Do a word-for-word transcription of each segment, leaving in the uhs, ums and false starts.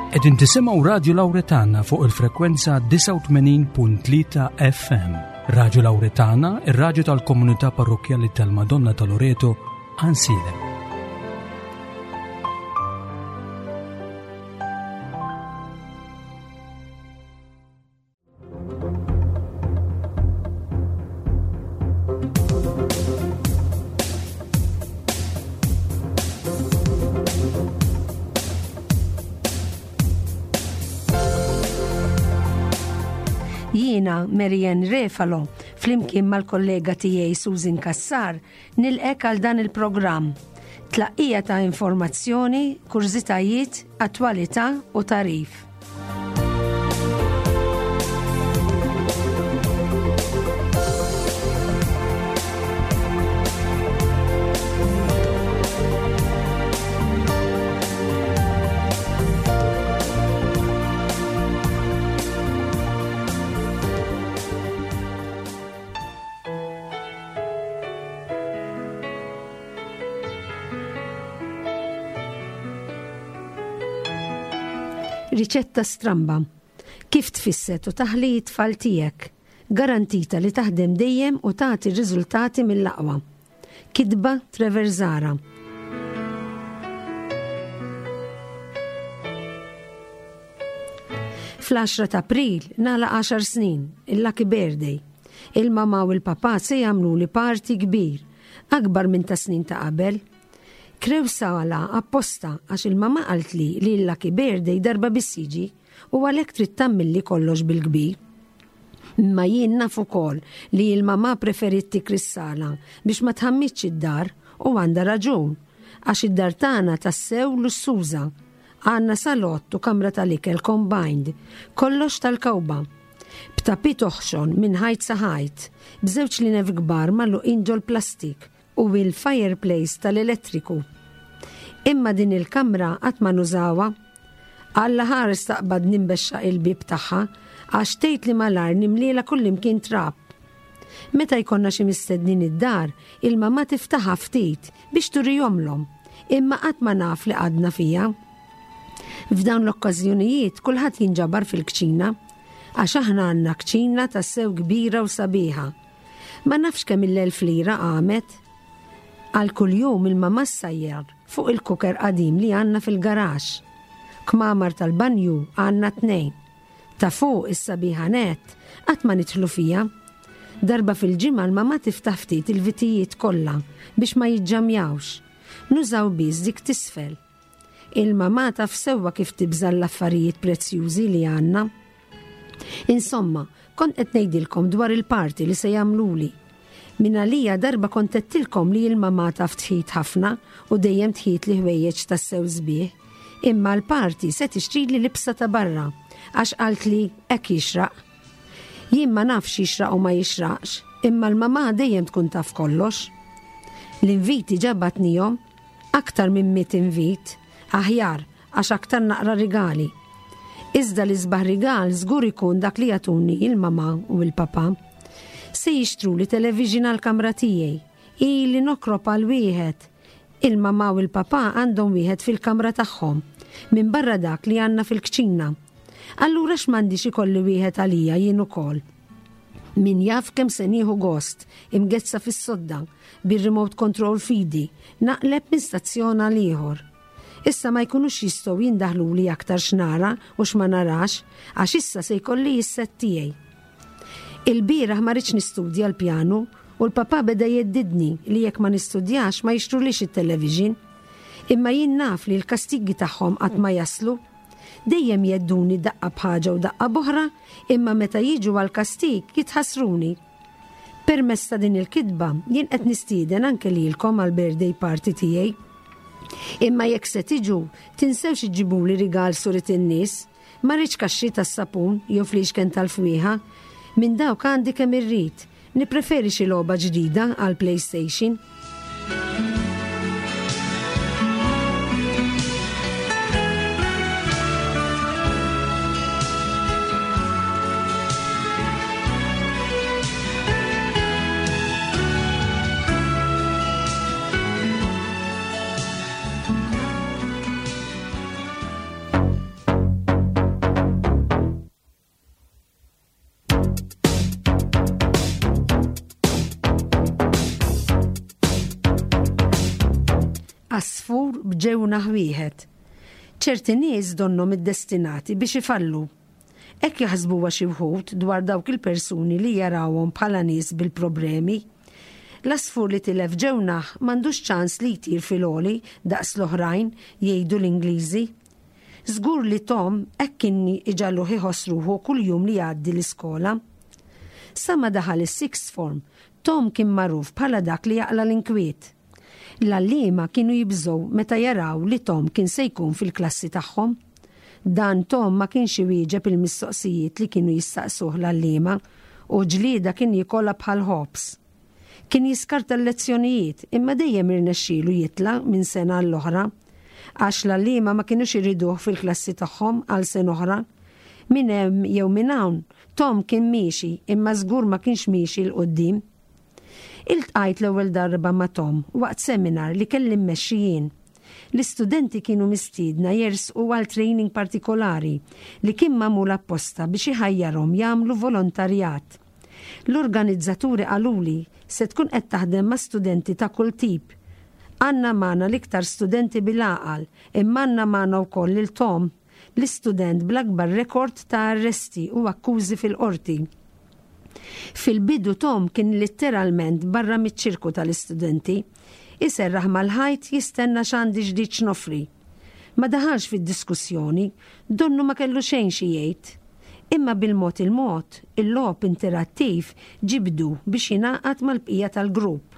Qegħdin tisimgħu Radio Lauretana fuq il-frekwenza disgħa u tmenin punt tlieta F M. Radio Lauretana, ir-radju tal-Komunità Parrokkjali tal-Madonna ta' Loreto, Għajnsielem. Jiena Marianne Refalo, flimkien mal-kollega tiegħi Susan Kassar, nilqgħek għal dan il-programm. Tlaqqija ta' informazzjoni, kurżitajiet, attwalità u tagħrif. Riċetta stramba. Kif tfisset u taħli t-tfal tiegħek? Garantita li taħdem dejjem u tagħti riżultati mill-aqwa. Kitba Trevor Zara. Fl-għaxra ta' April nagħlaq għaxar snin, il-Lucky Birthday. Il-mama u l-papa se jagħmlu li party kbir, akbar minn ta' snin ta' qabel. Krew sala apposta għax il-mama qaltli li l-Lucky Birthday darba biss jiġi u għalhekk trid tagħmilli kollox bil-kbir. Imma jien naf ukoll li l-mama preferit tikri s-sala biex ma tħammitx id-dar u għandha raġun għax id-dar tagħna tassew lussuża. Għandna salott u kamra tal-ikel combined, kollox tal-kawba. B'tapit oħxon minn ħajt sa ħajt, b'żewġ linef kbar magħluqin ġol-plastik u il-fireplace tal-elettriku. Imma din il-kamra qatt ma nużawha. Alla ħares taqbad nimbexxa il-bib tagħha għax tgħid li malar nimliela kullimkien trab. Meta jkollna xi mistednin id-dar, il-mama tiftaħha ftit biex turihomlhom, imma qatt ma naf li għadna fija. F'dawn l-okkażjonijiet kulħadd jinġabar fil-kċina, għax aħna għandna kċina tassew kbira u sabiħa. Ma nafx kemm il-elf lira għamet. Għal kuljum il-mama ssajjar fuq il-cooker qadim li għandna fil-garax. Kmamar tal-banju għandna tnejn. Ta' fuq is-sabiħa net, qatt ma nidħlu fija. Darba fil-ġimgħa l-mama tiftaħ ftit il-vitijiet kollha biex ma jiġġamjawx. Nużaw biss dik t'isfel. Il-mama taf sewwa kif tibża l-affarijiet prezzjużi li għandna. Insomma, kont qed ngħidilkom dwar il-party li se jagħmluli. Min għalija darba kont għedtilkom li l-mama taf tħit ħafna u dejjem tħit li ħwejjeġ tassew sbieħ. Imma l-party se tixtrili libsa ta' barra għax qalt li hekk jixraq. Jien ma nafx jixraq u ma jixraqx, imma l-mama dejjem tkun taf kollox. L-inviti ġabatnihom aktar minn mitt invit, aħjar għax aktar naqra rigali. Iżda l-isbaħ rigal żgur ikun dak li jagħtuni il-mama u l-papa. Se jixtru li television għal-kamra tiegħi, ili nokrob għal wieħed. Il-mama u l-papa għandhom wieħed fil-kamra tagħhom, minn barra dak li għandna fil-kċina. Allura x'm'għandix ikolli wieħed għalija jien ukoll. Min jaf kemm se nieħu gost, imgezza fis-sodda, bir-remote control f'idi, naqleb minn stazzjon għal ieħor. Issa ma jkunux jistgħu jindaħlu li aktar x'nara u x'ma narax, għax issa se jkolli s-set tiegħi. Il-bieraħ ma rridx nistudja l-pjanu u l-papa beda jheddidni li jekk ma nistudjax ma jixtrulix it-television. Imma jien naf li l-kastigi tagħhom qatt ma jaslu. Dejjem jhedduni daqqa b'ħaġa u daqqa b'oħra, imma meta jiġu għal-kastig jitħassruni. Permezz ta' din il-kitba jien qed nistieden anke lilkom għal birthday party tiegħi. Imma jekk se tiġu, tinsewx iġġibuli rigal surit in-nies, ma rridx kaxxi tas-sapun jew fliexken tal-fwieħa. Minn dawk għandi kemm irrid, nippreferi xi logħba ġdida għal PlayStation. Għasfur b'ġewnaħ wieħed. Ċerti nies donnhom iddestinati biex ifallu. Hekk jaħsbuha xi wħud dwar dawk il-persuni li jarawhom bħala nies bil-problemi. L-għasfur li tilef ġewnaħ m'għandux ċans li jtir fil-għoli daqs l-oħrajn, jgħidu l-Ingliżi. Żgur li Tom hekk kien iġagħluh iħoss ruħu kull jum li jgħaddi l-iskola. Sa ma daħal is-sixth form, Tom kien magħruf bħala dak li jaqla l-inkwiet. L-għalliema kienu jibżgħu meta jaraw li Tom kien se jkun fil-klassi tagħhom. Dan Tom ma kienx iwieġeb il-mistoqsijiet li kienu jistaqsuh l-għalliema u ġlieda kien jikolha bħal ħobż. Kien jiskarta l-lezzjonijiet imma dejjem irnexxielu jitla' minn sena għall-oħra għax l-għalliema ma kienux iriduh fil-klassi tagħhom għal sena oħra. Minn hemm jew minn hawn, Tom kien miexi imma żgur ma kienx miexi 'l quddiem. Iltqajt l-ewwel darba ma' Tom waqt seminar li kelli mmexxi jien. L-istudenti kienu mistiedna jersqu għal training partikolari li kien magħmul apposta biex iħajjarhom jagħmlu volontarjat. L-organizzaturi qaluli se tkun qed taħdem ma' studenti ta' kull tip. Għandna magħna l-iktar studenti bil-għaqal, imma għandna magħna wkoll lil Tom, l-istudent bl-akbar rekord ta' arresti u akkużi fil-qorti. Fil-bidu Tom kien litteralment barra miċ-ċirku tal-istudenti, iserraħ mal-ħajt jistenna x'għandi ġdid x'noffri. Ma daħalx fid-diskussjoni, donnu ma kellu xejn xi jgħid. Imma bil-mod il-mod, il-logħob interattiv ġibdu biex jingħaqad mal-bqija tal-grupp.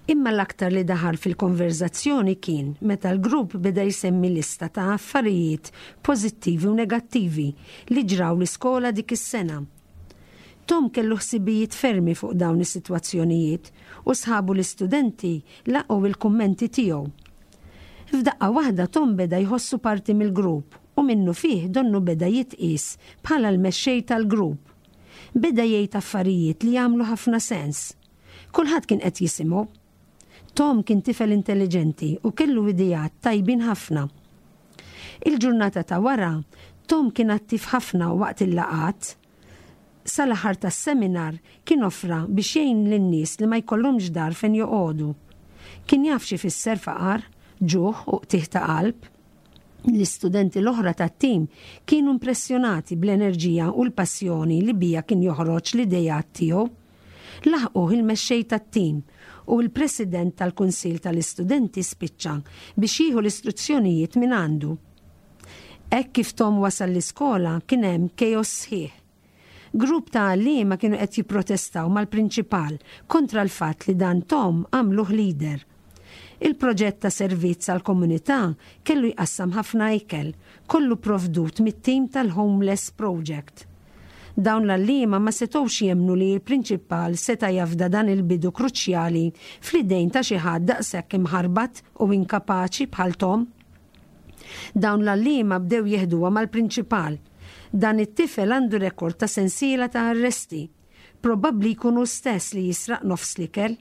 Imma l-aktar li daħal fil-konverzazzjoni kien meta l-grupp beda jsemmi lista ta' affarijiet pożittivi u negattivi li ġraw l-iskola dik is-sena. Tom kellu ħsibijiet fermi fuq dawn is-sitwazzjonijiet u sħabu l-istudenti laqgħu il-kummenti tiegħu. F'daqqa waħda Tom beda jħossu parti mill-grupp u minnu fih donnu beda jitqies bħala l-mexxej tal-grupp. Beda jgħid affarijiet li jagħmlu ħafna sens. Kulħadd kien qed jisimgħu. Tom kien tifel intelligenti u kellu ideat tajbin ħafna. Il-ġurnata ta' wara, Tom kien attiv ħafna waqt il-laqgħat. Sal-aħħar tas-seminar kien offra biex jgħin lin-nies li ma jkollhomx dar fejn joqogħdu. Kien jaf xi fisser faqar, ġuħ u qtigħ ta' qalb. L-istudenti l-oħra tat-tim kienu impressjonati bl-enerġija u l-passjoni li bija kien joħroġ l-idejat tiegħu. Laħquh il-mexxej tat-tim u l-president tal-Kunsill tal-Istudenti spiċċa biex jieħu l-istruzzjonijiet minn għandu. Hekk kif Tom wasal l-iskola kien hemm chaos sħiħ. Grupp ta' għalliema kienu qed jipprotestaw mal-prinċipal kontra l-fatt li dan Tom għamluh leader. Il-proġett ta' servizz għal komunità kellu jqassam ħafna ikel, kollu provdut mit-tim tal-Homeless Project. Dawn l-għalliema ma setgħux jemmnu li l-prinċipal seta' jafda dan il-bidu kruċjali fl-idejn ta' xi ħadd daqshekk imħarbat u inkapaċi bħal Tom. Dawn l-għalliema bdew jeħduha mal-prinċipal. Dan it-tifel għandu rekord ta' sensiela ta' arresti. Probabbli jkunu stess li jisraq nofs l-ikel.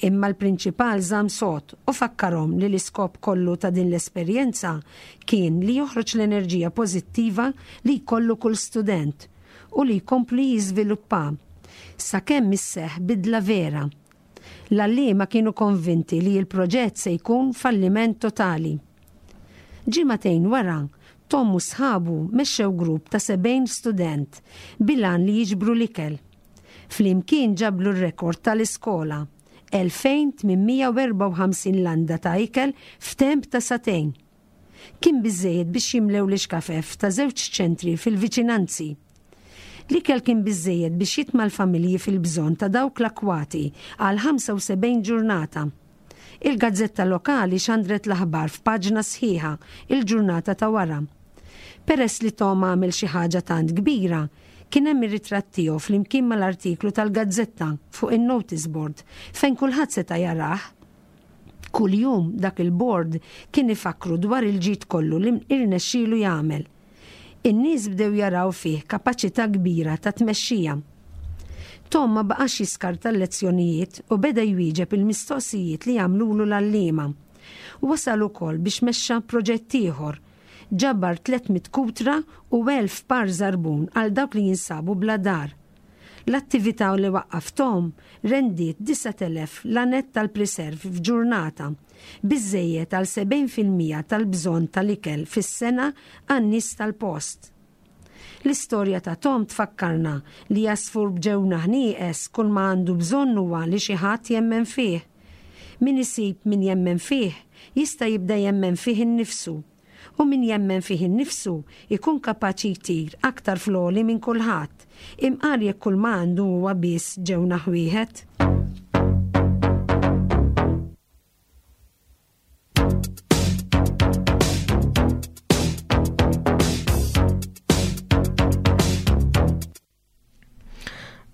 Imma l-prinċipal żamm sod u fakkarhom li l-iskop kollu ta' din l-esperjenza kien li joħroġ l-enerġija pożittiva li jkollu kull student u li jkompli jiżviluppa sakemm isseħħ bidla vera. L-għalliema kienu konvinti li l-proġett se jkun falliment totali. Ġimagħtejn wara, Tom u sħabu mexxew grupp ta' sebgħin student bil-għan li jiġbru l-ikel. Flimkien ġablu r-rekord tal-iskola, elfejn tmien mija u erbgħa u ħamsin landa ta' ikel f'temp ta' sagħtejn. Kien biżejjed biex jimlew l-ixkafef ta' żewġ ċentri fil-viċinanzi. L-ikel kien biżejjed biex jitma' l-familji fil-bżonn ta' dawk l-akwati għal ħamsa u sebgħin ġurnata. Il-gazzetta lokali xandret l-aħbar f'paġna sħiħa il-ġurnata ta' wara. Peress li Tom għamel xi ħaġa tant kbira, kien hemm ir-ritratt tiegħu flimkien mal-artiklu tal-gazzetta fuq in-notice board fejn kulħadd seta' jarah. Kuljum dak il-board kien ifakru dwar il-ġid kollu li irnexxielu jagħmel. In-nies bdew jaraw fih kapaċità kbira ta' tmexxija. Tom ma baqax jiskarta l-lezzjonijiet u beda jwieġeb il-mistoqsijiet li jagħmlulu l-għalliema. Wasal ukoll biex mexxa proġett ieħor. Ġabar tliet mitt kutra u elf par żarbun għal dawk li jinsabu bla dar. L-attività li waqqaf Tom rendiet disat elef lanett tal-preserve f'ġurnata, biżejjed għal sebgħin fil-mija tal-bżonn tal-ikel fis-sena għan-nies tal-post. L-istorja ta' Tom tfakkarna li għasfur b'ġewnaħ nieqes kull ma għandu bżonn huwa li xi ħadd jemmen fih. Min isib min jemmen fih, jista' jibda jemmen fih innifsu. U min jemmen fih innifsu ikun kapaċi jtir aktar fl-għoli minn kulħadd, imqar jekk kull ma għandu huwa biss ġewnaħ wieħed.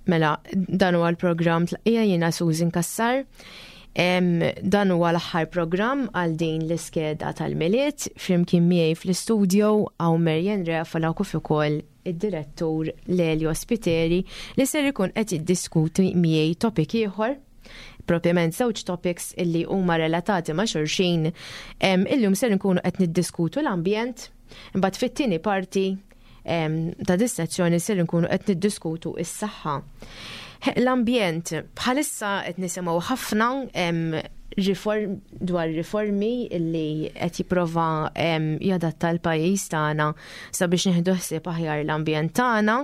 Mela, dan huwa l-programm Tlaqqija, jiena Susan Kassar. Em, dan huwa l-aħħar programm għal din l-iskeda tal-Milied. Flimkien miegħi fl-istudio hawn Marian Refalo kif ukoll id-direttur Lelio Spiteri, li ser ikun qed jiddiskuti miegħi topic ieħor, propjament żewġ topics illi huma relatati ma' xulxin. Em, Illum ser nkunu qed niddiskutu l-ambjent, imbagħad fit-tieni parti em, ta' dis-sezzjoni ser nkunu qed niddiskutu is-saħħa. L-ambjent, bħalissa qed nisimgħu ħafna em, riform, dwar riformi illi qed jipprova em, jadatta l-pajjiż tagħna sabiex nieħdu ħsieb aħjar l-ambjent tagħna.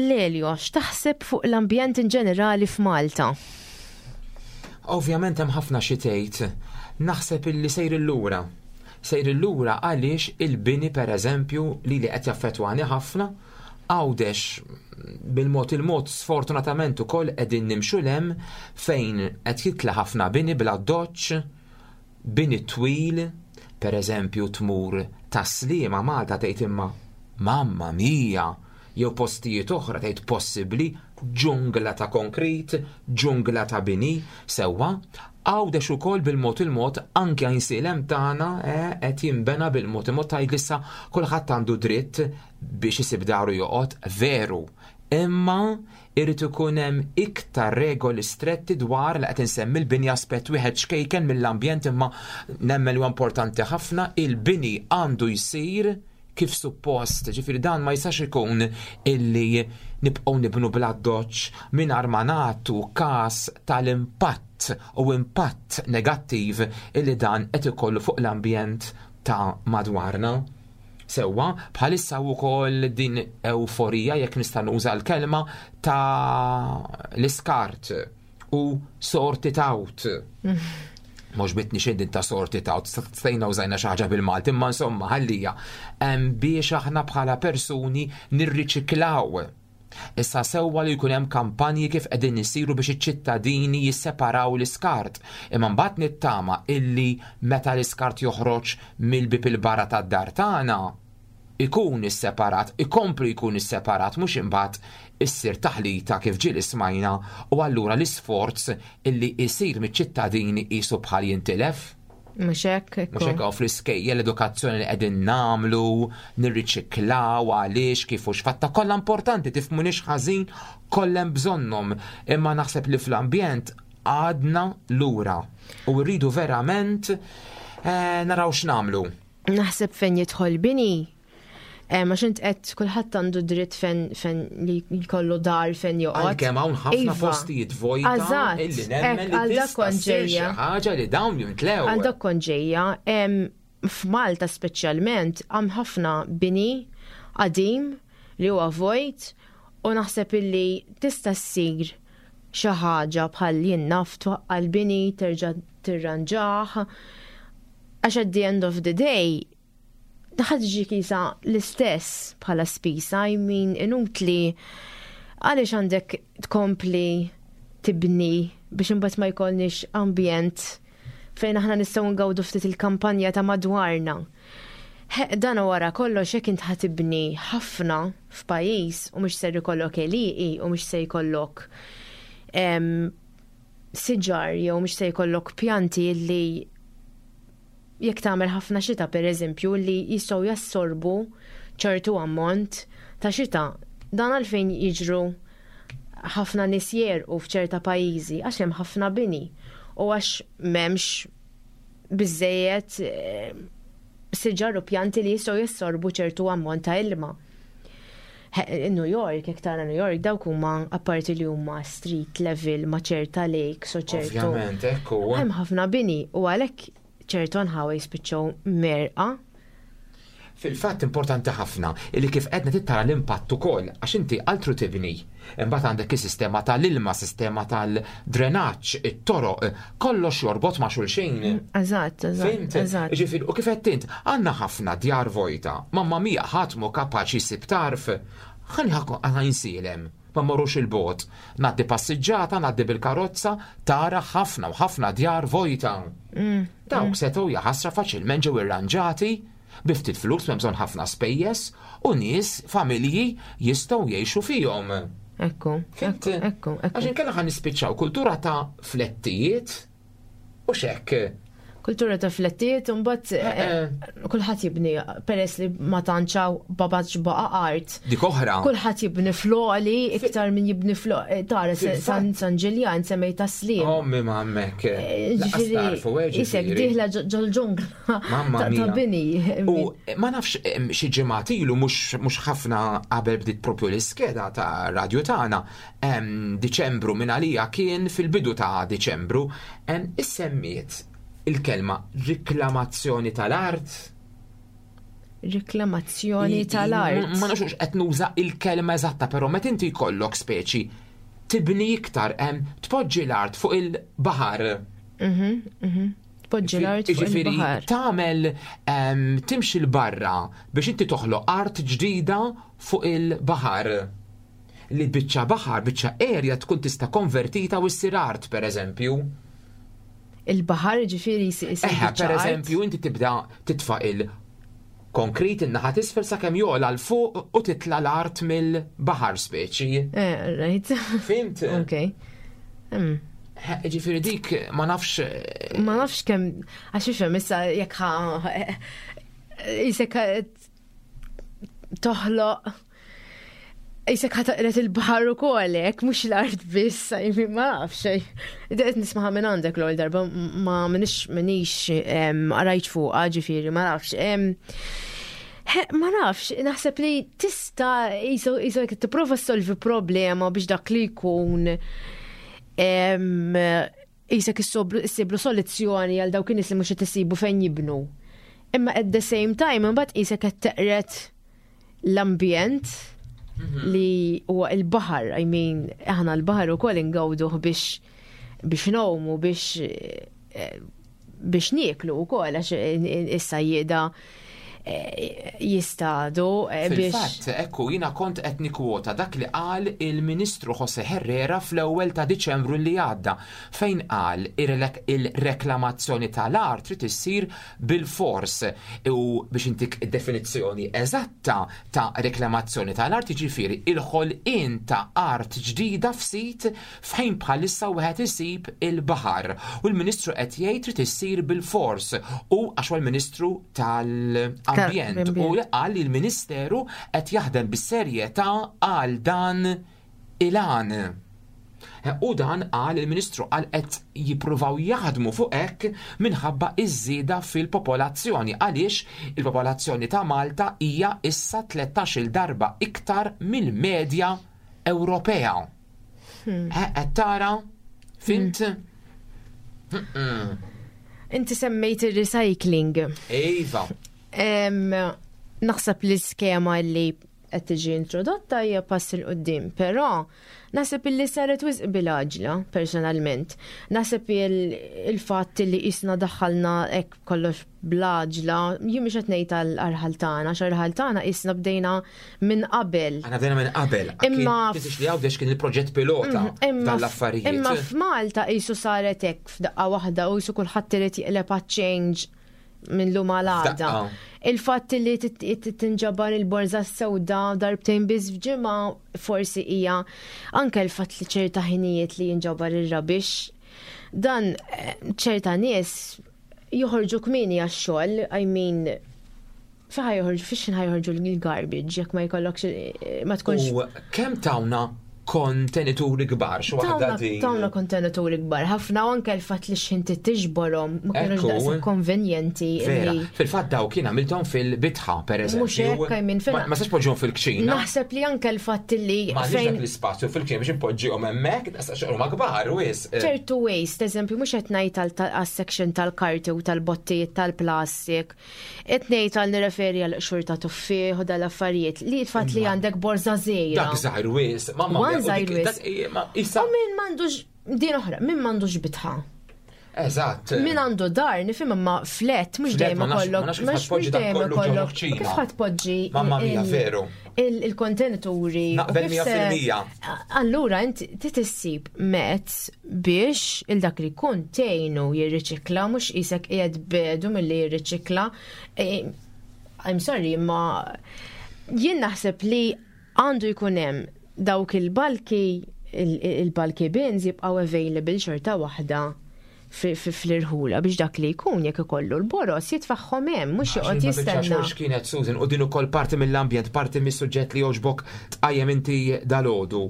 Lelio, x'taħseb fuq l-ambjent in ġenerali f'Malta? Ovvjament hemm ħafna xi tgħid. Naħseb illi sejr illura. Sejr illura għaliex il-bini, per eżempju, li li qed jaffettwani ħafna, Għawdex bil-mod il-mod sfortunatament ukoll qegħdin nimxu lem fejn qed jitla ħafna bini bla doċ, bini twil, per eżempju tmur Tas-Sliema Malta, tgħid imma mamma mia, jew postijiet oħra tgħid possibbli, ġungla ta' konkrit, ġungla ta' bini, sewwa. Għawdex ukoll bil-mod il-mod anke Għajnsielem tagħna eh, qed jinbena bil-mod il-mod. Tgħid issa kulħadd għandu dritt biex isib daru joqgħod, veru. Imma irid ikun hemm iktar regoli stretti dwar li qed insemmi l-bini, aspett wieħed ċkejken mill-ambjent, imma nemmen huwa importanti ħafna. Il-bini għandu jsir kif suppost, ġifieri dan ma jistax ikun illi nibqgħu nibnu bla doċ mingħajr ma nagħtu każ tal-impatt u impatt negattiv illi dan qed ikollu fuq l-ambjent ta' madwarna. Sewwa, bħalissa wkoll din euforija, jekk nista' nuża l-kelma, ta' l-iskart u sort it out. Mhux bitni xejn din ta' sort it out, stajna użajna xi ħaġa bil-Malti, imma insomma ħallija. Hemm biex aħna bħala persuni nirriċiklaw. Issa sewwa li jkun hemm kampanji kif qegħdin isiru biex iċ-ċittadini jisseparaw l-iskart. Imma mbagħad nittama illi meta l-iskart joħroġ mill-bib il-barra tad-dar tagħna ikun isseparat, ikomplu jkun isseparat, mhux imbagħad issir taħlita kif ġieli smajna u allura l-isforz illi jsir miċ-ċittadini qisu bħal jintilef. Mhux hekk? Mhux hekk, fl-iskejjel l-edukazzjoni li qegħdin nagħmlu, nirriċiklaw, għaliex, kif u x'fatta, kollha importanti, tifhmunix ħażin, kollha hemm bżonnhom, imma naħseb li fl-ambjent għadna lura u rridu verament eh, naraw x'nagħmlu. Naħseb fejn jidħol bini, eh, ma xint qed kulħadd għandu dritt fejn fejn li jkollu dar fejn joqgħod. Għalkemm hawn ħafna Iva. postijiet vojta Eżatt, illi nemmen hekk, li għal dak tista' kont ssir xi ġejja. ħaġa li dawn jimtlew. Għal dak kont ġejja, em, f'Malta speċjalment hemm ħafna bini qadim li huwa vojt u naħseb illi tista' ssir xi ħaġa bħal jien naf twaqqa' l-bini, terġa' tirranġah. Għax at the end of the day ħa tiġi qisha l-istess bħala spisa, I mean, inutli, għaliex għandek tkompli tibni biex imbagħad ma jkollniex ambjent fejn aħna nistgħu ngawdu ftit il-kampanja ta' madwarna. He, dan wara kollox, jekk int ħa tibni ħafna f'pajjiż u mhux ser ikollok għelieqi u mhux se jkollok em, siġar jew mhux se jkollok pjanti li jekk tagħmel ħafna xita, per eżempju, li jistgħu jassorbu ċertu ammont ta' xita. Dan għalfejn jiġru ħafna nies jegħrqu f'ċerta pajjiżi, għax hemm ħafna bini u għax m'hemmx biżejjed eh, siġar u pjanti li jistgħu jassorbu ċertu ammont ta' ilma. New York, jekk tara New York, dawk huma apparti li huma street level ma' ċerta lakes u ċertu. Ovvjament, ekku. Hemm ħafna bini u għalhekk ċertu nħawa jispiċċaw merqa. Fil-fatt importanti ħafna illi kif qedna tittara l-impatt ukoll għax inti altru tibni. Imbagħad għandek is-sistema tal-ilma, sistema tal-drenaġġ, it-toroq, kollox jorbot ma' xulxin. Eżatt, eżatt. Fhimt? Eżatt. Ġifieri, u kif qed int, għandna ħafna djar vojta, mamma mia ħadd mhu kapaċi jsib tarf. Ħalli Għajnsielem, ma mmorrux il-bogħod. Ngħaddi passiġġata, ngħaddi bil-karozza, tara ħafna u ħafna djar vojta. Dawk setgħu jaħasra faċilment ġew irranġati, bi ftit flus m'hemm bżonn ħafna spejjeż u nies, familji jistgħu jgħixu fihom. Ekku, Fhimt? ekku, ekku, Għax ekku. inkella ħa nispiċċaw kultura ta' flettijiet u xekk. Kultura ta' flettijiet, u mbagħad Eh, eh, kulħadd jibni peress li ma tantx hawn babax baqa art. Dik oħra. Kulħadd jibni fl-għoli iktar minn jibni fl Tara Fil-fatt. San San Ġiljan semmejt Tas-Sliema. Ommi ma hemmhekk. Eh, Lanqas Ġifieri, tarfu, eh, isek ġifieri. dieħla ġol-ġungla Mamma ta' ta' mia. bini. U ma nafx em, xi ġimgħat ilu mhux mhux ħafna qabel bdiet propju l-iskeda ta' radju tagħna. em, Diċembru minn għalija kien fil-bidu ta' Diċembru, em, issemmiet il-kelma riklamazzjoni tal-art. Riklamazzjoni tal-art. Ma nafx qed nuża il-kelma eżatta, però meta inti jkollok speċi tibni iktar em, tpoġġi l-art fuq il-baħar. Mhm, mhm. Tpoġġi l-art fuq Ġifieri, il-baħar. tagħmel em, timxi l-barra biex inti toħloq art ġdida fuq il-baħar. Li biċċa baħar, biċċa area tkun tista' konvertita u ssir art, per eżempju. Il-baħar ġifieri jisir Eħe, per eżempju, inti tibda titfa' il-konkrit in-naħa t'isfel sakemm jola 'l fuq u titla l-art mill-baħar speċi. Eh, right. Fhimt? Ok. Hmm. Ġifieri dik ma nafx eh, Ma nafx kemm, għax ifhem issa jekk ħa jisek toħloq jisek ħa taqret il-baħar ukoll hekk, mhux l-art biss, I mean, ma nafx. Qed nismaha minn għandek l-ewwel darba ma minix minix em, qrajt fuqha ġifieri, ma nafx. Em, He, Ma nafx, naħseb li tista' jisu jisu jekk tipprova solvi problema biex dak li jkun em, jisek issiblu soluzzjoni għal dawk in-nies li mhux qed isibu fejn jibnu. Imma at the same time imbagħad qisek qed teqret l-ambjent li huwa il-baħar, I mean, aħna l-baħar ukoll ingawduh biex biex ngħumu, biex eh, biex nieklu wkoll għax is-sajjieda eh, jistadu eh, biex Fil-fatt, ekku, jina kont qed nikkwota dak li qal il-Ministru Jose Herrera fl-ewwel ta' Diċembru li għadda, fejn qal il-reklamazzjoni tal-art trid issir bil-fors u biex intik definizzjoni eżatta ta' reklamazzjoni tal-art jiġifieri il-ħolqien ta' art ġdida f'sit fejn bħalissa wieħed isib il-baħar. U l-Ministru qed jgħid trid issir bil-fors u għax huwa l-Ministru tal-Ambjent u li qal li l-Ministeru qed jaħdem bis-serjetà għal dan il-għan. U dan qal il-Ministru qal qed jippruvaw jaħdmu fuq hekk minħabba iż-żieda fil-popolazzjoni għaliex il-popolazzjoni ta' Malta hija issa tlettax-il darba iktar mill-medja Ewropea. Eh, Qed tara? Fhimt? Inti semmejt il-recycling. Iva. Em, Naħseb li skema li qed tiġi introdotta hija pass 'il quddiem, però naħseb li saret wisq bil-għaġla personalment. Naħseb il-fatt li isna daħħalna hekk kollox bl-għaġla, jien mhux qed ngħid għall-arħal tagħna, għax arħal tagħna isna bdejna minn qabel. Aħna bdejna minn qabel. Imma- Tinsiex li Għawdex kien il-proġett pilota Imma dan l-affarijiet. Imma f'Malta qisu saret hekk f'daqqa waħda u qisu kulħadd irid jiqleb change minn lum għal għada. F'daqqa. Il-fatt li tit- tit- tinġabar il-borża sewda darbtejn biss f'ġimgħa forsi hija anke l-fatt li ċerta ħinijiet li jinġabar ir-rubbish. Dan eh, ċerta nies joħorġu kmieni għax-xogħol, I mean, fejn ħa joħorġu, fiex ħa joħorġu l-garbage, jekk ma jkollokx, eh, ma tkunx. U kemm tawna Kontenituri kbar, xi waħda din. Tawna kontenituri kbar, ħafna, u anke l-fatt li x'inti tiġborhom ma kienux daqshekk konvenjenti. Vera, fil-fatt daw kien għamilthom fil-bitħa, per eżempju. Mhux hekk, I mean, Ma sax poġġihom fil-kċina. Naħseb li anke l-fatt li. Ma fejn l-ispazju fil-kċina biex impoġġihom hemmhekk, huma kbar wis. Ċertu waste, eżempju, mhux qed ngħid għas-section tal-karti u tal-bottijiet tal-plastik, qed ngħid għal nirreferi għal qxur ta' tuffieħ u dal-affarijiet li l-fatt li għandek borza żgħira. Dak żgħir wis, mamma. U min m'għandux din oħra, min m'għandux bitħa. Eżatt. Min għandu dar, nifhem, imma flat, mhux dejjem ikollok. Mhux dejjem ikollok. Kif ħadd poġġi? Mamma mia, veru. Il-kontenituri. Naqbel mija fil-mija. Allura inti tissib mezz biex il-dak li jkun tgħinu jirriċikla, mhux isek qiegħed bedu milli jirriċikla. E, I'm sorry, imma jien naħseb li għandu jkun hemm dawk il-bulky il-bulky bins jibqaw available xorta waħda fl-irħula biex dak li jkun, jekk ikollu l-boros, jitfaħħom hemm, mhux joqgħod jistenna. Kienet Susan, u din ukoll parti mill-ambjent, parti mis-suġġett li jogħġbok tqajjem inti dalgħodu.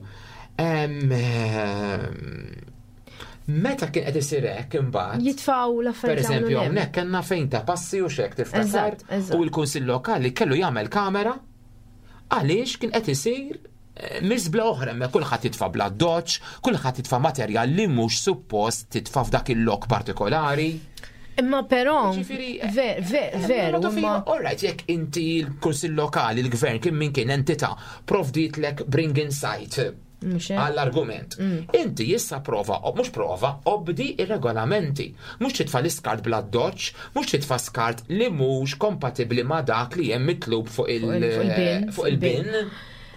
Meta kien qed isir hekk imbagħad. Jitfgħu l-affarijiet. Pereżempju, hawnhekk kellna fejn ta' passi u xek tiftakar. U l-Kunsill Lokali kellu jagħmel kamera għaliex kien qed isir miżbla oħra me kulħadd jitfa' bla doċ, kulħadd jitfa' materjal li mhux suppost titfa' f'dak il-lok partikolari. Imma però, ver, ver, veru. All right, jekk inti l-Kunsill Lokali, l-Gvern, kien min kien entità, provditlek bring in site għall-argument. Mm. Inti jissa prova, o mhux prova, obdi ir-regolamenti. Mhux titfa' l-iskart bla doċ, mhux titfa' skart li mhux kompatibbli ma' dak li hemm mitlub fuq il-bin.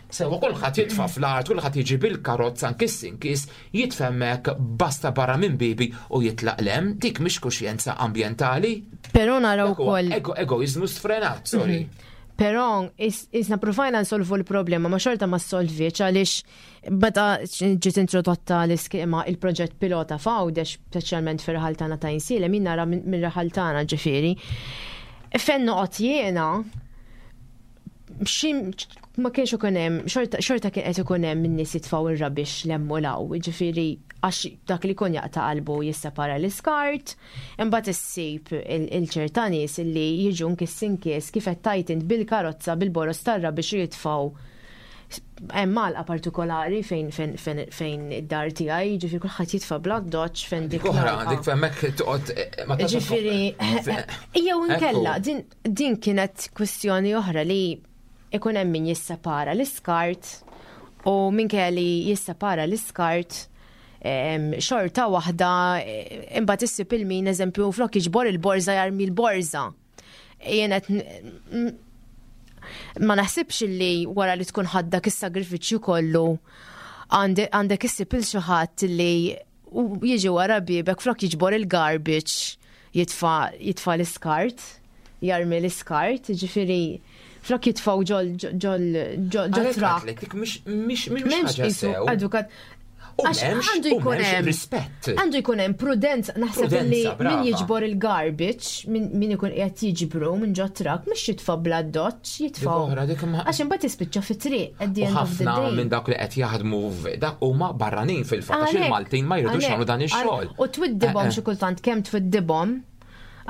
Sewa, kulħadd jitfa' fl-art, kulħadd jiġi bil-karozza nkiss inkis, jitfemmek basta barra minn bibi u jitlaq lem, dik mhix kuxjenza ambjentali. Però naraw ukoll. Egoizmu sfrenat, sorry. Mhm. Però isna provajna nsolvu l-problema, ma xorta ma solviċ, għaliex meta ġiet introdotta l-iskema, il-proġett pilota f'Għawdex, speċjalment fir-raħal tagħna ta' Għajnsielem, min nara minn raħal tagħna ġifieri. Fejn noqgħod jiena, ma kienx ikun hemm, xorta kien qed ikun hemm min-nies jitfgħu ir-rubbish 'l hemm u 'l hawn, ġifieri għax dak li kun jaqta' qalbu jissepara l-iskart, imbagħad issib il-ċerta nies li jiġu nkiss inkis kif qed tajt int bil-karozza bil-boros tar-rubbish jitfgħu hemm malqa partikolari fejn fejn fejn id-dar tiegħi, ġifieri kulħadd jitfa' bla doċ fejn dik. Oħra, dik hemmhekk toqgħod ma Ġifieri jew inkella din din kienet kwestjoni oħra li ikun hemm min jissepara l-iskart u minkejja li jissepara l-iskart xorta waħda imbagħad issib il-min, eżempju, flok jiġbor il-borża jarmi l-borża. Jien qed ma naħsibx li wara li tkun ħaddak is-sagrifiċċju kollu għandek issib il xi ħadd li jiġi wara bibek, flok jiġbor il-garbage jitfa' jitfa' l-iskart, jarmi l-iskart, ġifieri flok jitfaw ġol ġol ġol trak. Mhix mhix ħaġa sew. Edukat. U għandu jkun hemm rispett. Għandu jkun hemm prudenza, naħseb li min jiġbor il-garbage, min ikun qiegħed jiġbru minn ġo trak, mhux jitfa' bla doċ, jitfa'. Għax imbagħad jispiċċa fit-triq at the end of the day. Minn dak li qed jaħdmu dak huma barranin fil-fatt, għax il-Maltin ma jridux jagħmlu dan ix-xogħol. U twiddibhom, xi kultant kemm twiddibhom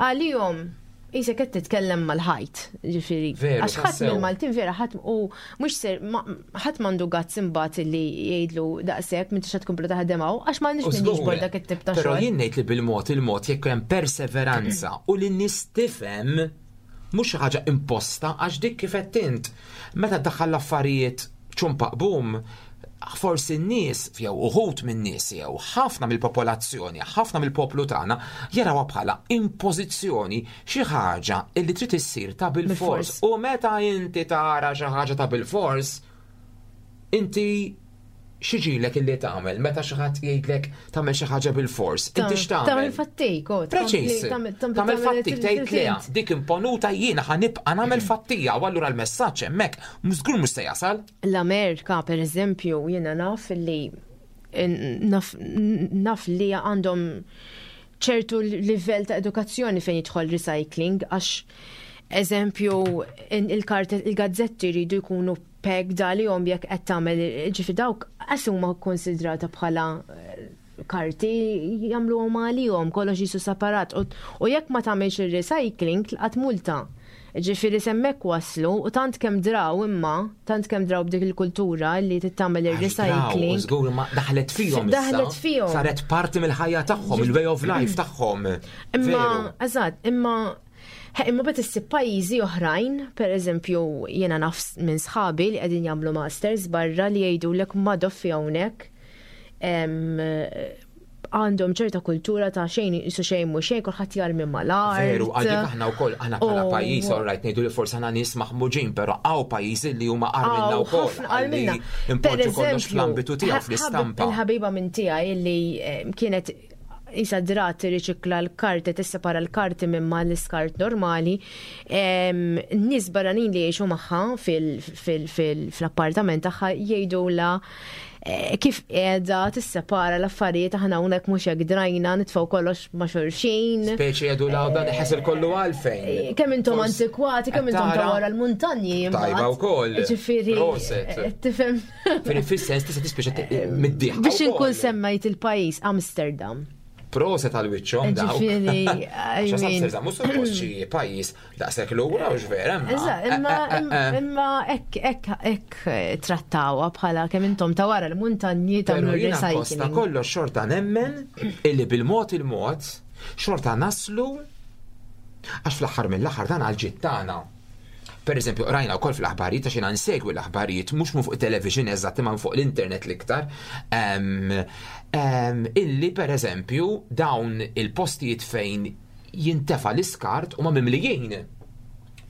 għalihom Isa qed titkellem mal-ħajt, ġifieri. Għax ħadd mill-Maltin vera ħadd u mhux ser ħadd m'għandu guts imbagħad li jgħidlu daqshekk m'intix qed tkomplu taħdem hawn għax m'għandniex min jiġbor dak it-tip ta' xogħol. Però jien ngħid li bil-mod il-mod, jekk hemm perseveranza u li n-nies tifhem, mhux xi ħaġa imposta, għax dik kif qed int, meta ddaħħal l-affarijiet ċumpaq bum, forsi n-nies, jew uħut minn nies, jew ħafna mill-popolazzjoni, ħafna mill-poplu tagħna jarawha bħala impożizzjoni, xi ħaġa illi trid issir ta' bil-fors. U meta inti tara xi ħaġa ta' bil-fors, inti x'jiġilek illi tagħmel meta xi ħadd jgħidlek tagħmel xi ħaġa bil-fors? Inti x'tagħmel? Tagħmel fattik, oh, Preċis. Tagħmel fattik, tgħid le, dik imponuta, jiena ħa nibqa' nagħmel fattija, u allura l-messaġġ hemmhekk żgur mhux se jasal. L-Amerika, per eżempju, jiena naf li naf, naf li għandhom ċertu livell ta' edukazzjoni fejn jidħol recycling, għax eżempju il-gazzetti jridu jkunu pegged għalihom jekk qed tagħmel, ġifi dawk qas huma konsidrata bħala eh, karti, jagħmluhom għalihom, kollox jisu separat u u jekk ma tagħmilx il-recycling tlaqat multa. Ġifieri s'hemmhekk waslu u tant kemm draw, imma tant kemm draw b'dik il-kultura li tittamel il-recycling. Żgur ma daħlet fihom issa. Daħlet fihom. Saret parti mill-ħajja tagħhom, il-way of life tagħhom. Imma, Veru. eżatt, imma he, imma bet issib pajjiżi oħrajn, per eżempju, jiena naf minn sħabi li qegħdin jagħmlu masters barra li jgħidulek ma doffi hawnhekk em, għandhom ċerta kultura ta' xejn jisu xejn mhu xejn, kulħadd jarmi mal-art. Veru, għadik aħna wkoll, aħna bħala U- pajjiż, all right, ngħidu li forsi aħna nies maħmuġin, però hawn pajjiżi li huma agħar minna Hawn wkoll. ħafna agħar minna. Impoġġu kollox fl-ambitu tiegħu, ħabib- fl-istampa. Il-ħabiba minn tiegħi li eh, kienet isa drat tirriċikla l-karti, tissepara l-karti minn ma l-iskart normali. em, Nies barranin li jgħixu magħha fil-appartament tagħha jgħidula eh, kif qiegħda tissepara l-affarijiet, aħna hawnhekk mhux hekk, drajna nitfgħu kollox ma' xulxin. Speċi jgħidu la dan ħesel kollu għalfejn. Eh, Kemm intom Forsi- antikwati, kemm intom ta' Tara? wara l-muntanji. Tajba imbagħad. wkoll. Ġifieri, Proset. eh, tifhem. Firi fis-sens tista' tispiċċa mid-dieħ. Biex inkun semmejt il-pajjiż, Amsterdam. Proset għal wiċċhom dawk. Ġifieri, I Għax mean- Amsterdam mhux suppost xi pajjiż daqshekk lura u x'vera. imma- Eżatt, imma Eh, eh, eh, imma hekk hekk hekk trattawha bħala kemm intom ta' wara l-muntanji Pero tagħmlu jiena kosta recycling. kollox xorta nemmen illi bil-mod il-mod xorta naslu, għax fl-aħħar mill-aħħar dan għal tagħna. Per eżempju, rajna wkoll fl-aħbarijiet, għax jiena nsegwi l-aħbarijiet mhux minn fuq television eżatt imma fuq l-internet l-iktar, em, em, illi per eżempju dawn il-postijiet fejn jintefa l-iskart huma mimlijin,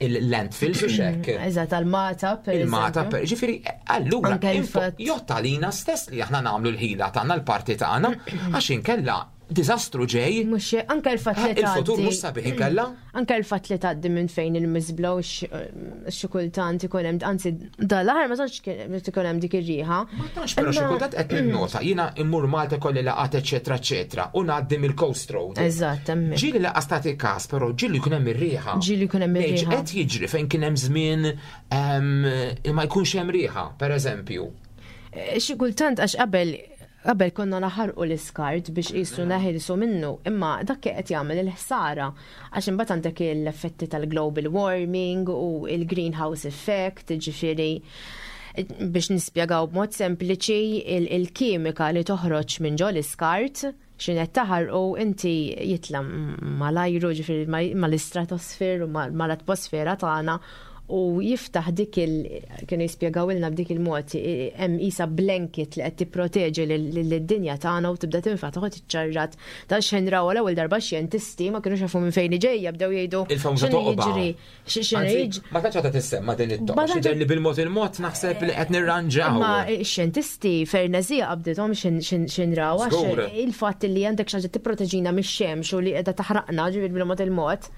il-landfills u xek. Eżatt, għal-Mata, per Il-mata, eżempju. per ġifieri, allura, Anke impo- il-fatt- jotta lina stess li aħna nagħmlu l-ħila tagħna, l-parti tagħna, għax inkella diżastru ġej, Mhux anke l-fatt li eh, il-futur tgħaddi. mhux sabiħ inkella. Anke l-fatt li tgħaddi minn fejn il-miżbla u xi kultant ikun hemm, anzi dal-aħħar ma tantx kien ikun hemm dik ir-riħa. Ma tantx, però xi Imma- kultant qed ninnota, jiena immur Malta kolli laqat eċetera eċetera u ngħaddi mill-Coast Road. Eżatt, hemmhekk. Ġieli laqas tagħti każ, però ġieli jkun hemm ir-riħa. Ġieli jkun hemm Ngħid, ir-riħa. Qed jiġri fejn kien hemm żmien em, ma jkunx hemm riħa, per eżempju. Eh, Xi kultant għax qabel qabel konna naħarqu l-iskart biex qisu neħilsu minnu, imma dak qed jagħmel il-ħsara għax imbagħad għandek l-effetti tal-global warming u il-greenhouse effect, ġifieri biex nispjegaw b'mod sempliċi, il- il-kimika li toħroġ minn ġol iskart x'inhu taħarqu inti jitla mal-ajru, ġifieri mal-istratosfer u mal-atmosfera tagħna u jiftaħ dik il kienu jispjegaw ilna b'dik il-mod, hemm isa blanket li qed tipproteġi lid-dinja tagħna u tibda tinfaħ, toħod iċċarrat ta' xejn raw l-ewwel darba xjentisti ma kienux jafu minn fejn ġejja, bdew jgħidu Il-famuża x'inhu toqba. jiġri, x'inhu Anzi, jiġri. ma tantx għadha tissemma din it-toqba. Ma tantx- Xi li bil-mod il-mod naħseb li qed nirranġaw. Ma x-xjentisti fernezija qabdithom xin raw għax Żgur. il-fatt li għandek xi ħaġa tipproteġina mix-xemx u li qiegħda taħraqna, ġifieri bil-mod il-mod.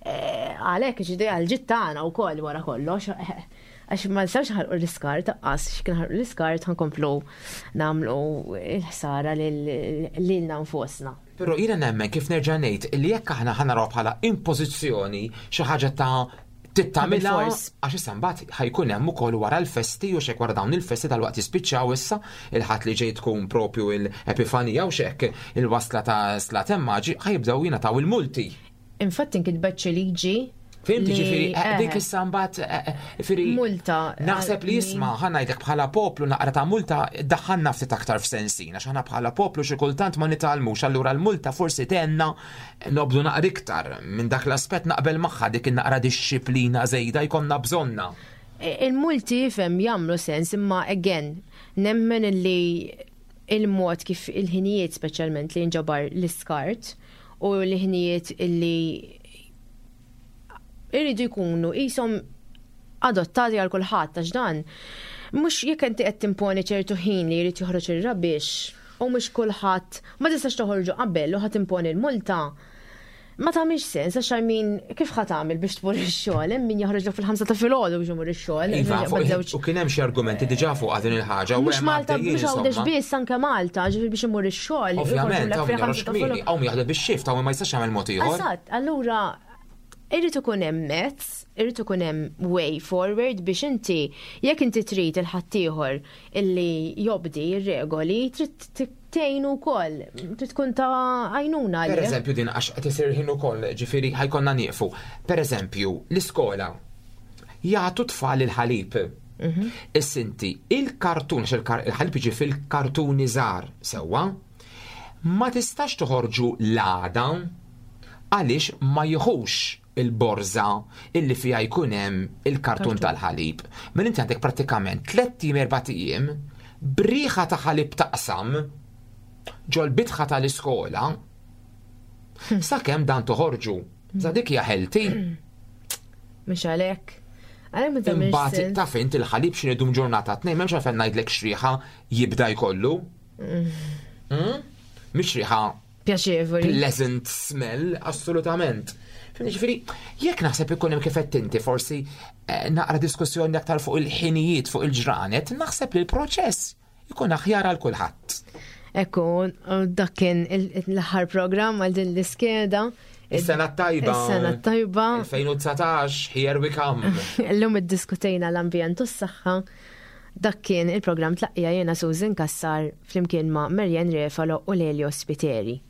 eh, Għalhekk ġifieri għal-ġid tagħna wkoll wara kollox. eh, Għax ma nistgħux ħarqu l-iskart, taqqas x'kien ħarqu l-iskart ħankomplu nagħmlu l-ħsara lilna nfusna. Però jiena nemmen, kif nerġa' ngħid, li jekk aħna ħa naraw bħala impożizzjoni, xi ħaġa ta' tittamilha Bil-fors. għax issa mbagħad ħajkun hemm ukoll wara l-festi u xek, wara dawn il-festi tal-waqt jispiċċaw issa, il-Ħadd li ġej tkun propju l-Epifanija u xek, il-wasla ta' Slaten Maġi, ħajibdew jingħataw il-multi. Infatti nkitbet xi liġi. Fhimt? li- Ġifieri eh, dik eh, issa mbagħad eh, eh, ġifieri Multa, Naħseb li eh, jisma' ħa ngħidlek, bħala poplu naqra ta' multa daħħalna ftit aktar f'sensina, għax aħna bħala poplu xi kultant ma nitgħallmux, allura l-multa forsi tenna nobdu naqra iktar minn dak l-aspett, naqbel magħha dik in-naqra dixxiplina żejda jkollna bżonna. Il-multi fem jagħmlu sens, imma again nemmen li il-mod kif il-ħinijiet speċjalment li nġabar l-iskart u l-ħinijiet illi irridu jkunu qishom adottati għal kulħadd, għax dan mhux jekk inti qed timponi ċertu ħin li jrid joħroġ ir-rubbish u mhux kulħadd, ma tistax toħorġu qabel u ħadd imponi l-multa. Ma tagħmilx sens għax min kif ħa tagħmel biex tmur ix-xogħol, hemm min joħroġ fil-ħamsa ta' filgħodu biex imur ix-xogħol. Iva, ma fuq- żewġ- u kien hemm xi argumenti diġà fuq din il-ħaġa u Mhux hemm Malta, għaddejjin, mhux Għawdex insomma. biss, anke Malta, ġifieri biex imur ix-xogħol. Ovvjament, joħorġulek hawn fil-ħamsa joħroġ ta' kmieni, filgħodu. hawn jaħdem bix-shift, hawn ma jistax jagħmel mod ieħor. Eżatt, allura Irrid ikun hemm mezz, irrid ikun hemm way forward biex inti jekk inti trid il-ħaddieħor illi jobdi r-regoli, trid tgħinu wkoll, trid tkun ta' għajnuna Per għalih. eżempju, din għax qed isir ħin ukoll, ġifieri ħa jkollna nieqfu. Per eżempju, l-iskola jagħtu tfal il-ħalib. Issa inti, il-kartun, għax il-kar- il-ħalib jiġi fil-kartuni żgħar sewwa, ma tistax toħorġu l-għada għaliex ma jieħux il-borża illi fija jkun hemm il-kartun tal-ħalib. Mela inti għandek prattikament tlett ijiem erbat ijiem b'riħa ta' ħalib taqsam ġol-bitħa tal-iskola sakemm dan toħorġu. Sa dik hija healthy. Mhux għalhekk. Għalhekk ma tagħmilx Imbagħad sens. taf int il-ħalib x'inhu jdum ġurnata tnejn m'hemmx għalfejn ngħidlek x'riħa jibda jkollu. Mm? Mhix riħa Pjaċevoli. pleasant smell, assolutament. Fimni, ġifieri, jekk naħseb ikun hemm kif qed inti forsi eh, naqra diskussjoni aktar fuq il-ħinijiet, fuq il-ġranet, naħseb li l-proċess ikun aħjar għal kulħadd. Ekku, dak kien il- l-aħħar programm għal din l-iskeda. Is-sena t-tajba. Is-sena t-tajba. elfejn u dsatax, here we come. Illum iddiskutejna l-ambjent u s-saħħa. Dak kien il-programm Tlaqqija, jiena Susan Kassar flimkien ma' Marian Refalo u Lelio Spiteri.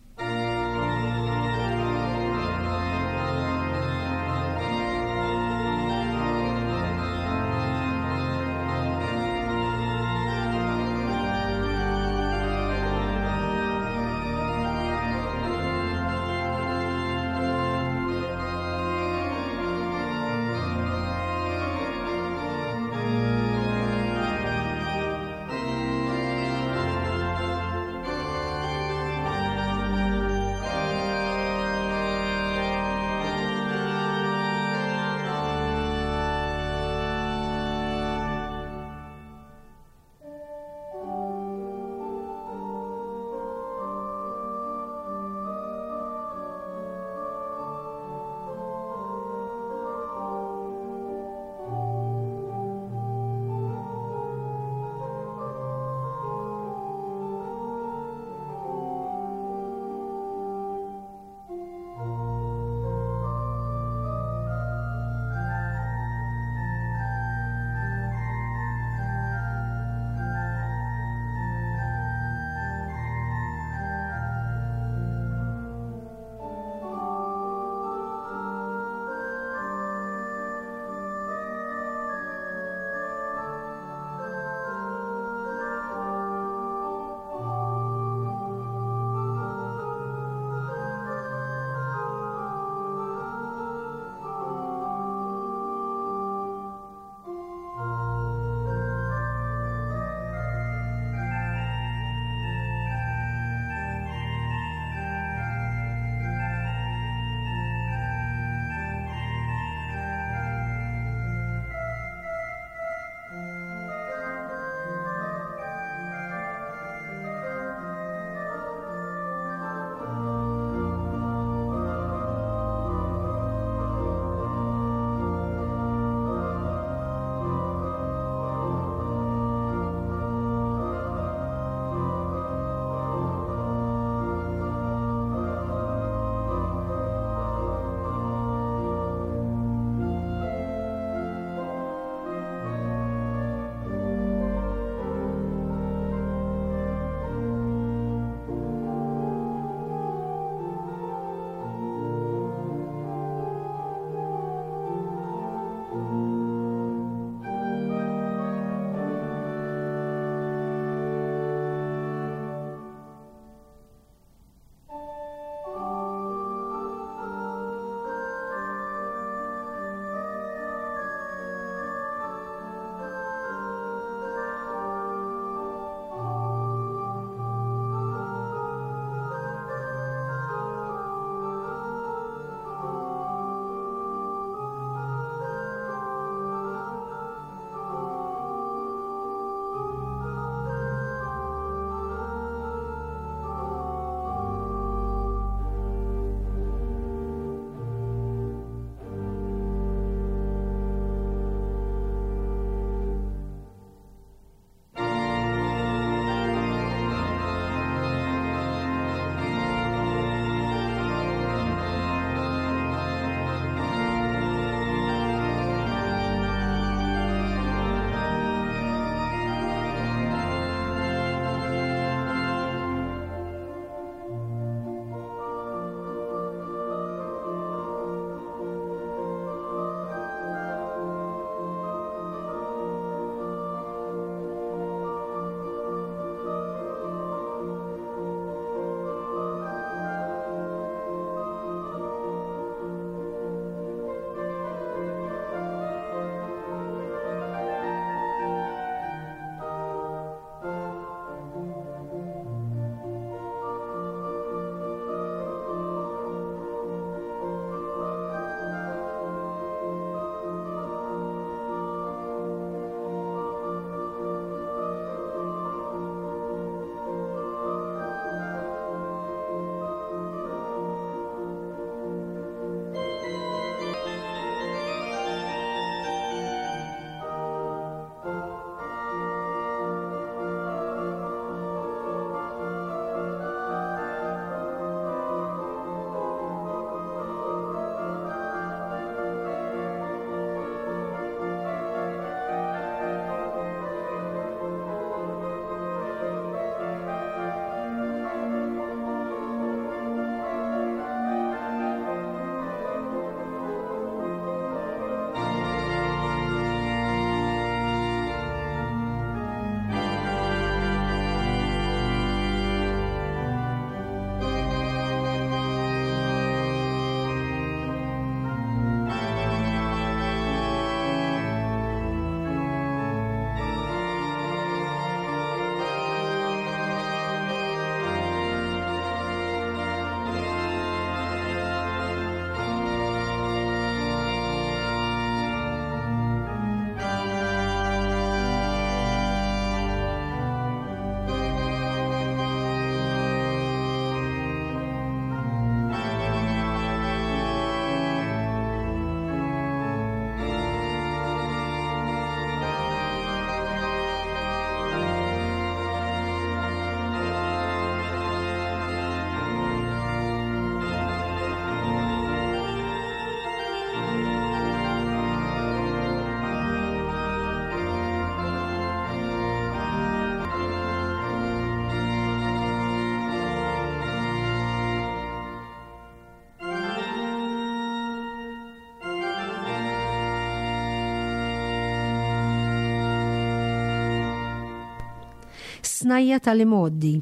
Snajja tal-imgħoddi.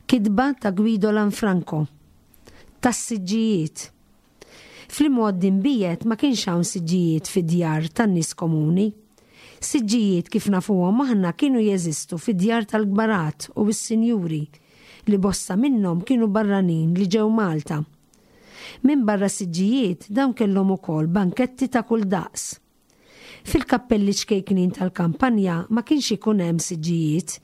Kitba ta' Guido Lanfranco. Tas-siġġijiet. Fl-imgħoddi mbiegħed ma kienx hawn siġġijiet fid-djar tan-nies komuni. Siġġijiet kif nafuhom aħna kienu jeżistu fid-djar tal-kbarat u s-sinjuri li bosta minnhom kienu barranin li ġew Malta. Minn barra siġġijiet dawn kellhom ukoll banketti ta' kull daqs. Fil-kappelli ċkejknin tal-kampanja ma kienx ikun hemm siġġijiet,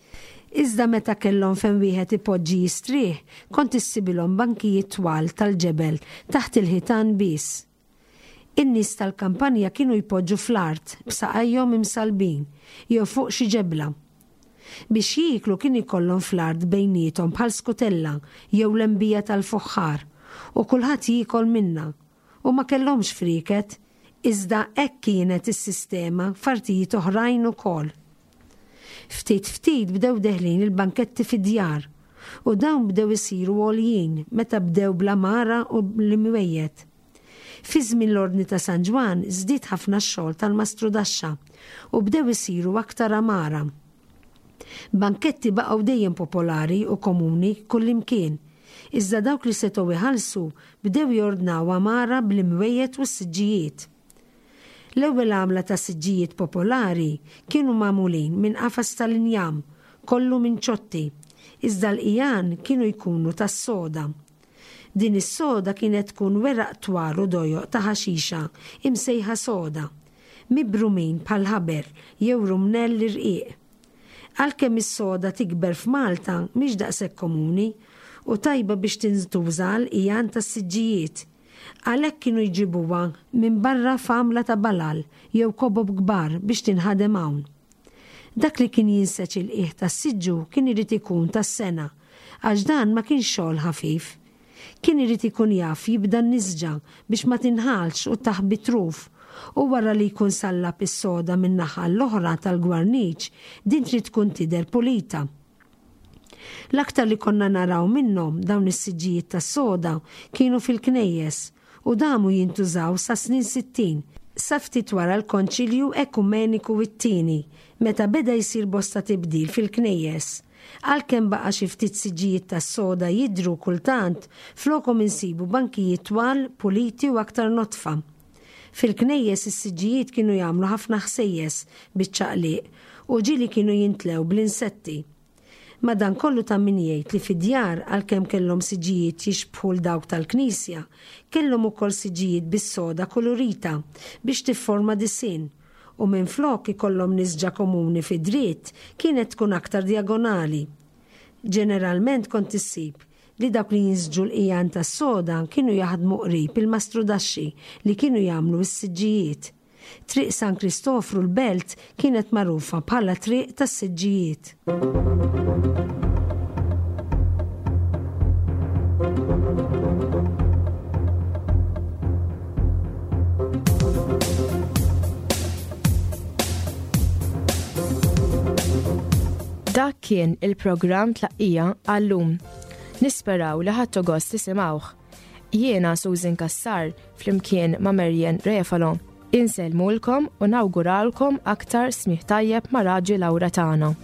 iżda meta kellhom fejn wieħed ipoġġi jistrieħ, kont issibilhom bankijiet twal tal-ġebel taħt il-ħitan biss. In-nies tal-kampanja kienu jpoġġu fl-art b'saqajhom imsalbin jew fuq xi ġebla. Biex jieklu kien ikollhom fl-art bejniethom bħal skutella jew lembija tal-fuħħar u kulħadd jiekol minnha u ma kellhomx frieket, iżda hekk kienet is-sistema f'artijiet oħrajn ukoll. Ftit ftit bdew deħlin il-banketti fid-djar u dawn bdew isiru għoljin meta bdew bl-għamara u l-imwejjed. Fi żmien l-Ordni ta' San Ġwann żdied ħafna x-xogħol tal-mastrudaxxa u bdew isiru aktar għamara. Banketti baqgħu dejjem popolari u komuni kullimkien, iżda dawk li setgħu iħallsu bdew jordnaw għamara bl-imwejjed u s-siġġijiet. L-ewwel għamla ta' siġġijiet popolari kienu magħmulin minn qafas tal-injam, kollu minn ċotti, iżda l-qigħan kienu jkunu tas-soda. Din is-soda kienet tkun weraq twal u dojoq ta' ħaxixa imsejħa soda, mibrumin bħal ħaber jew rumnell irqiq. Għalkemm is-soda tikber f'Malta mhix daqshekk komuni u tajba biex tintuża għall-qigħan tas-siġġijiet. Għalhekk kienu jġibuha minn barra f'għamla ta' balal jew kobob kbar biex tinħadem hawn. Dak li kien jinseġ il-qiegħ tas-siġġu kien irid ikun tas-sengħa, għax dan ma kienx xogħol ħafif. Kien irid ikun jaf jibda n-nisġa biex ma tinħalx u taħbi truf, u wara li jkun sallab is-soda minn naħa l-oħra tal-gwarniċ, din trid tkun tidher pulita. L-aktar li konna naraw minnhom dawn is-siġġijiet tas-soda kienu fil-knejjes u damu jintużaw sa snin sittin, sa ftit wara l-Konċilju Ekumeniku it-tieni, meta beda jsir bosta tibdil fil-knejjes. Għalkemm baqa' xi ftit siġġijiet tas-soda jidhru kultant, flokhom insibu bankijiet twal, puliti u aktar notfa. Fil-knejjes is-siġġijiet kienu jagħmlu ħafna ħsejjes biċ-ċaqliq u ġieli kienu jintlew bl-insetti. Madankollu ta' min jgħid li fid-djar għalkemm kellhom siġġijiet jixbħu l dawk tal-knisja, kellhom ukoll siġġijiet bis-soda kolorita biex tifforma disinn u minflok ikollhom nisġa komuni fi dritt kienet tkun aktar diagonali. Ġeneralment kont issib li dawk li jinsġu l-qigħan tas-soda kienu jaħdmu qrib il-mastrudaxxi li kienu jagħmlu s-siġġijiet. Triq San Kristofru l-Belt kienet magħrufa bħala triq tas-siġġijiet. Dak kien il-programm Tlaqqija għallum. Nisperaw li ħadtu gost tisimgħuh. Jiena Susan Cassar flimkien ma' Marian Refalo. Insellmulkom u nawguralkom aktar smigħ tajjeb ma' Radju Lauretana.